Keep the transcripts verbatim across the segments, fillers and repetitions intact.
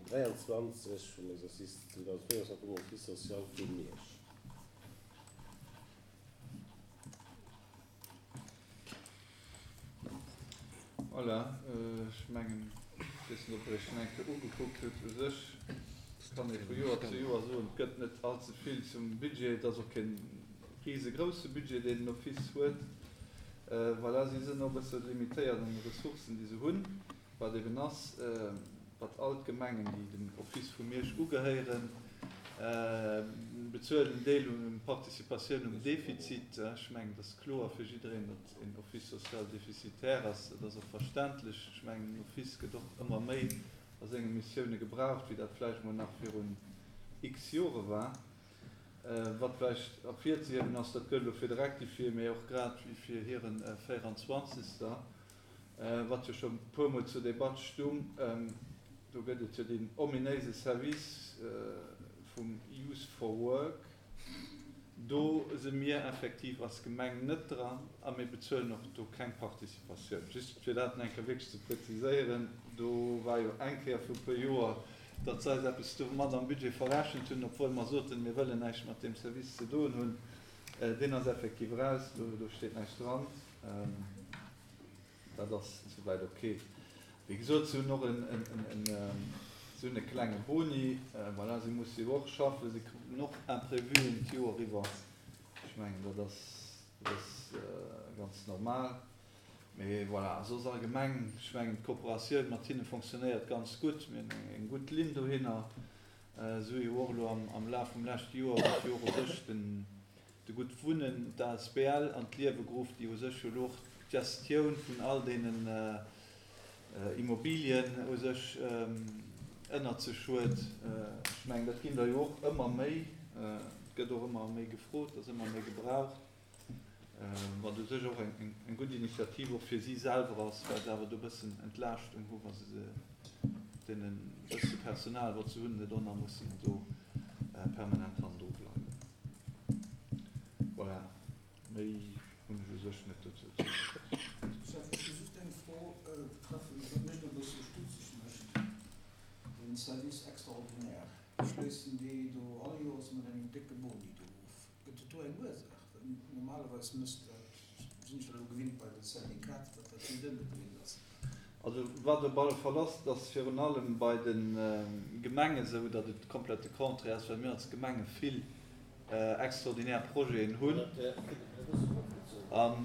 dräianzwanzeg vum Exercice zweedausendvéierundzwanzeg vum Office social vu Miersch. Voilà, ech mengen, ech weess net, ob Der Iech schonn eng Kéier ugekuckt hutt. U sech kann ee vu Joer zu Joer soen, et gëtt net allze vill zum Budget. Et ass och kee risegrousse Budget, deen den Office huet. Voilà, si sinn och e bësse limitéiert an de Ressourcen, déi se hunn, wat eben ass, datt all d'Gemengen, déi dem Office vu Miersch ugehéieren, bezuelen en Deel un Participatioun um Defizit. Ech mengen, et ass kloer fir jiddereen, datt een Office social déficitaire ass. Dat ass och verständlech. Ech mengen, den Office gëtt och ëmmer méi a senge Missioune gebraucht, wéi dat vläicht emol nach virun x Jore war. Wat vläicht ervirzehiewen ass, dat gëllt elo fir de Rectifié, mee och grad wéi fir hiren véierundzwanzegster, wat jo scho e puermol zur Debatt stung, do gëtt et jo deen ominéise Service vum Youth for Work, do si mir effektiv als Gemeng net dran a mir bezuelen och do keng Participatioun. Just fir dat nach eng Kéier wierklech ze präziséieren, do war jo eng Kéier viru puer Joer, datt se eis eppes domat am Budget verrechent hunn, obwuel mer soten, mir wëllen näischt mat deem Service ze doen hunn. Deen ass effektiv eraus, do steet näischt dran. Dat ass souwäit ok. Wéi gesot, se hunn och se hunn e klenge Boni. Voilà, si musse jo och schaffen, si kruten och Imprévuen d'Joer iwwer. Ech mengen, dat ass, dat ass ganz normal. Mee voilà, soss allgemeng, ech mengen d'Kooperatioun mat hinne fonctionnéiert ganz gutt. Mir hunn eng gutt Linn dohinner. Se hu jo och elo am Laf vum leschte Joer huet jo och u sech den de Gutt Wunnen, d'A S B L an d'Liewe geruff, déi u sech jo elo och d'Gestioun vun all deenen Immobilien u sech ënnert sech huet. Ech mengen, dat ginn der jo och ëmmer méi. Et gëtt och ëmmer méi gefrot, ass ëmmer méi gebraucht. Wat u sech och eng gutt Initiativ och fir si selwer ass, well se awer do e bëssen Entlaaschtung hu wa se se deene bësse Personal, wat se hunn, net och nach mussen do permanent hannendru bleiwen. Voilà, méi hunn ech u sech net dozou ze soen. Chef, ech hu just eng Fro betreffend, wat mech elo e bësse stutzeg mécht, den Service extraordinaire. Schléissen déi do all Joers mat engem décke Boni do of? Gëtt et do eng Ursaach? Well normalerweis mësst dat, sinn ech dat elo gewinnt bei de Syndikater, datt dat net ëmgedréint ass. Also wat op alle Fall ass, et ass virun allem bei de Gemenge esou, datt et komplett de Contraire ass, well mir als Gemenge vill extraordinär Projeten hunn. A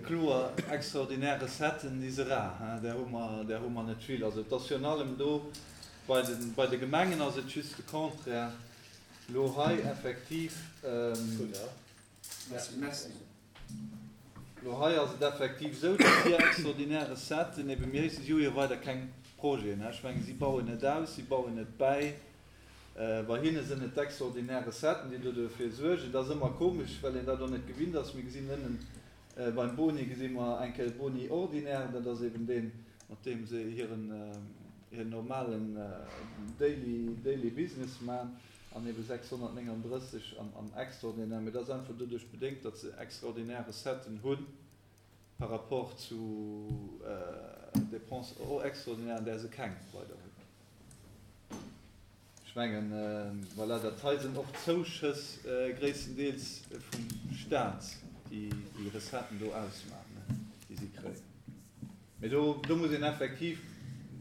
kloer, extraordinär Recetten, déi si rar, där hu mer, där hu mer net vill. Also et ass virun allem do bei de, bei de Gemengen ass et just de Contraire. Elo hei effektiv, elo hei ass et effektiv esou, datt hir extraordinär Recetten ebe mir, si hu jo weider keng Projeten, ech mengen, si bauen net aus, si bauen net bäi. Bei hinne sinn et d'extraordinär Recetten, déi do dofir suergen. Dat ass ëmmer komesch, well een dat och net gewinnt ass. Mir gesinn ënnen beim Boni gesi mer eng Kéier de Boni ordinaire, dat ass eben deen, mat deem se hiren, hiren normalen daily, daily business maachen. An ebe sechshonnertnénganddrësseg am Extraordinaire. Mee dat ass einfach doduerch bedéngt, datt se extraordinär Recetten hu par rapport zu Dépenses extraordinairen, där se keng weider hunn. Ech mengen, voilà, dat hei sinn och Zouschëss gréisstendeels vum Staat, déi déi Recetten do ausmaachen, déi si kréien. Mee do, do muss een effektiv,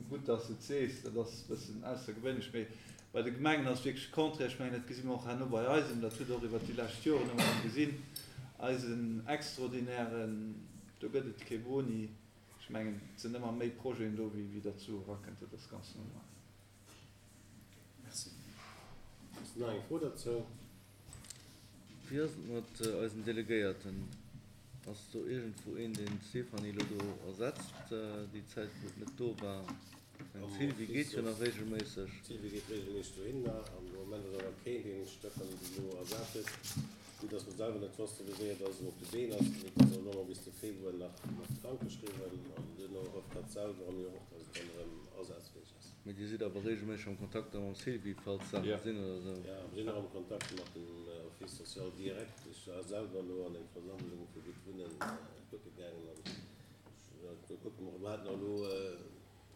gutt, datt s de et sees, dat ass e bëssen aussergewéinlech, mee bei de Gemengen ass et wierklech de Contraire. Ech mengen, dat gesi mer och herno bei eisem, dat hutt Der och iwwert déi lescht Joren ëmmer erëm gesinn, eisen extraordinären, do gëtt et kee Boni. Ech mengen, et sinn ëmmer méi Projeten do, wéi wéi der zu erakënnt. Dat ass ganz normal. Merci. Ass nach eng Fro dozou? Wéi ass et mat eisen Delegéierten? Ass do iergendwou een, deen d'Stéphanie elo do ersetzt, déi Zäit wou et net do war? Eng Sylvie geet jo nach regelméisseg. D'Sylvie geet regelméisseg dohinner an de Moment ass awer keen, deen d'Stéphanie bis elo ersat huet. Vue dass mer selwer net wosste wéi séier dass en op de Been ass, mee et ass elo mol bis de Februar nach nach krankgeschriwwen an duerno hofft hatt selwer a mir och, dass et dann erëm asazfäeg ass. Mee Dir sidd awer regelméisseg am Kontakt da mam Sylvie, falls Saache sinn oder esou? Jo, mir sinn och am Kontakt mat dem Office social direkt. Ech war selwer elo an eng Versammlung vu Gutt Wunnen kucke gaangen an do kucke mer, mer haten och elo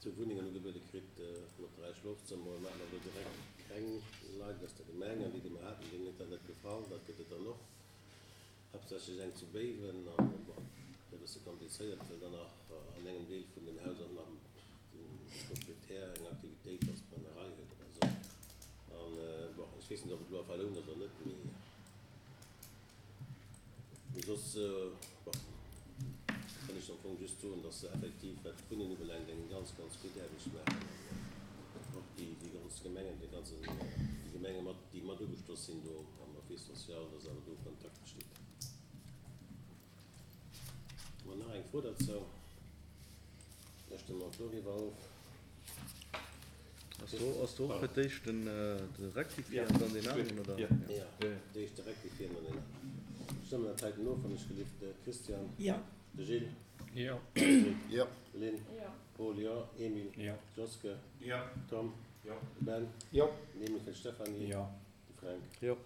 zwou Wunnengen ugebuede kritt mat dräi Schlofzëmmer. Mir haten awer do direkt keng Leit aus der Gemeng an déi, déi mer haten, deenen huet dat net gefall. Dat gëtt et dann och, haaptsächlech eng zu Béiwen an bon, e bësse komplizéiert, well dann nach an engem Deel vun dem Haus och nach de Proprietär eng Aktivitéit als Brennerei huet oder esou. An bon, ech weess net, ob et elo a Verloun ass oder net, mee. Mee soss, bon, kann ech am Fong just soen, dass se effektiv, wat d'Wunnen ubelaangt, eng ganz, ganz gutt Aarbecht maachen an och déi, déi ganz Gemengen, déi ganzen, déi Gemenge mat, déi mat ugeschloss sinn do am Office social, dass awer do Kontakt besteet. Hu mer nach eng Fro derzou? Da stëmme mer och doriwwer of. Ass do, ass do och fir d'éischt den, de Rectifié an dann deen aneren, oder? Jo, d'éischt de Rectifié an dann deen aneren. Stëmmen dat heiten of, wann ech gelift. De Christian? Jo. De Gilles? Jo. Patrick? Jo. Lynn? Jo. Paul, Jo. Emile? Jo. Joske? Jo. Tom? Jo. De Ben? Jo. Den Emile fir d'Stéphanie? Jo. De Fränk? Jo.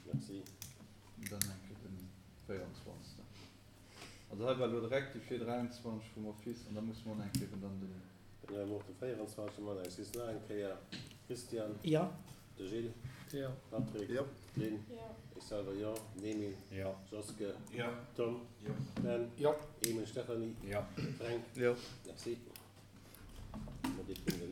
Merci. Dann eng Kéier den véierundzwanzegsten. Also hei war elo de Rectifié dräiundzwanzeg vum Office an da musse mer och nach eng Kéier eben dann den. Dann hu mer och de véierundzwanzegsten Mann eng Six nach eng Kéier. Christian? Jo. De Gilles? Jo. Patrick? Jo. Lynn? Jo. Ech selwer jo. Den Emile? Jo. Joske? Jo. Tom? Jo. Ben? Jo. Emile, Stéphanie? Jo. Fränk? Jo. Merci. Mat deem Punkt.